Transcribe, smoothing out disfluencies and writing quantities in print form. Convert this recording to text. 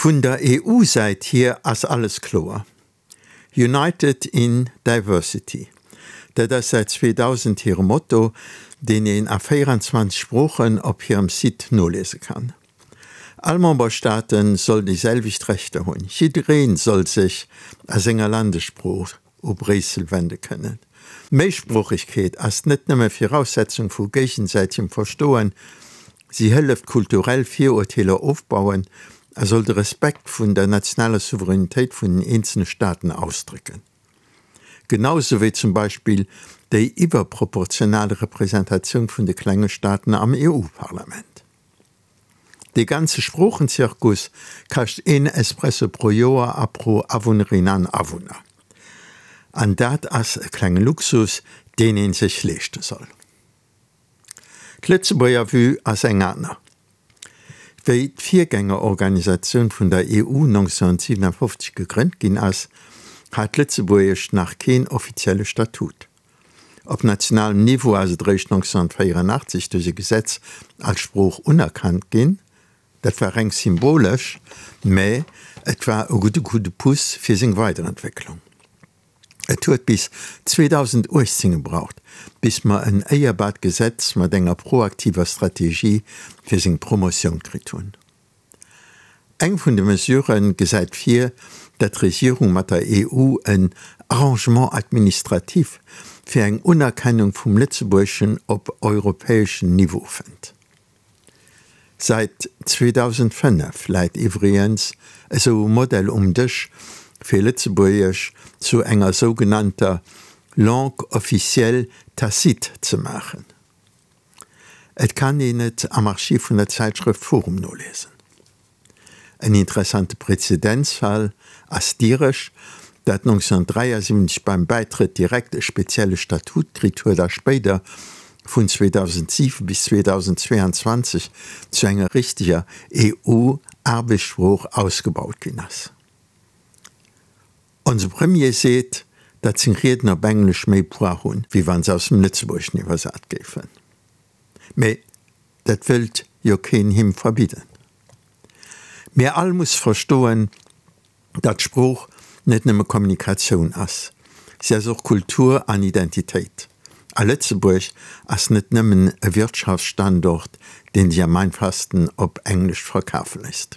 Vun der EU-Säit hier ass alles kloer, United in Diversity, dat ass säit 2000 hire Motto, deen een a 24 Sproochen op hirem Site noliese kann. All Memberstaate soll déi selwecht Rechter hunn, jidderee soll sech a senger Landessprooch u Bréissel wende kënnen. Méisproochegkeet ass net nëmme Viraussetzung vu géigesäitegem Verstoen, si hëlleft kulturell Virurteeler ofbauen a soll de Respekt vun der nationaler Souveränitéit vun den eenzele Staaten ausdrécken. Genau sou wéi zum Beispill déi iwwerproportional Representatioun vun de klenge Staaten am EU-Parlament. Dee ganze Sproochenzirkus kascht een Espresso pro Joer a pro Awunnerin an Awunner. An dat ass e klenge Luxus, deen ee sech leeschte soll. D'Lëtzebuerger Vue ass eng aner. Wéi d'Virgängerorganisatioun vun der EU 1957 gegrënnt ginn ass, hat Lëtzebuergesch nach keen offizielle Statut. Op nationalem Niveau ass et eréischt 1984 duerch e Gesetz als Sprooch unerkannt ginn. Dat war reng symbolesch, mä et war e gudde Coup de pouce fir seng Weiderentwécklung. Et huet bis 2018 gebraucht, bis mer en éierbart Gesetz mat enger proaktiver Strategie fir seng Promotioun kritt hunn. Eng vun de Mesurë gesäit vir, datt d'Regierung mat der EU en Arrangement administratif fir eng Unerkennung vum Lëtzebuergeschen op europäeschem Niveau fënnt. Säit 2005 läit iwwregens esou e Modell um Dësch, fir Lëtzebuergesch zu enger sougenannter Langue officielle tacite ze maachen. Et kann een et am Archiv vun der Zäitschrëft Forum noliesen. En interessante Präzedenzfall ass d'Iresch, dat 1973 beim Bäitrëtt direkt e spezielle Statut kritt huet a spéider, vun 2007 bis 2022, zu enger richteger EU-Aarbechtssprooch ausgebaut ginn ass. Onse Premier seet, datt seng Rieden op Englesch méi Poids hunn, wéi wa se aus dem Lëtzebuergeschen iwwersat géifen. Mee dat wëllt jo keen him verbidden. Mir all muss verstoen, datt Sprooch net nëmme Kommunikatioun ass, si ass och Kultur an Identitéit. A Lëtzebuerg ass net nëmmen e Wirtschaftsstandort, dee sech am einfachsten op Englesch verkafe léisst.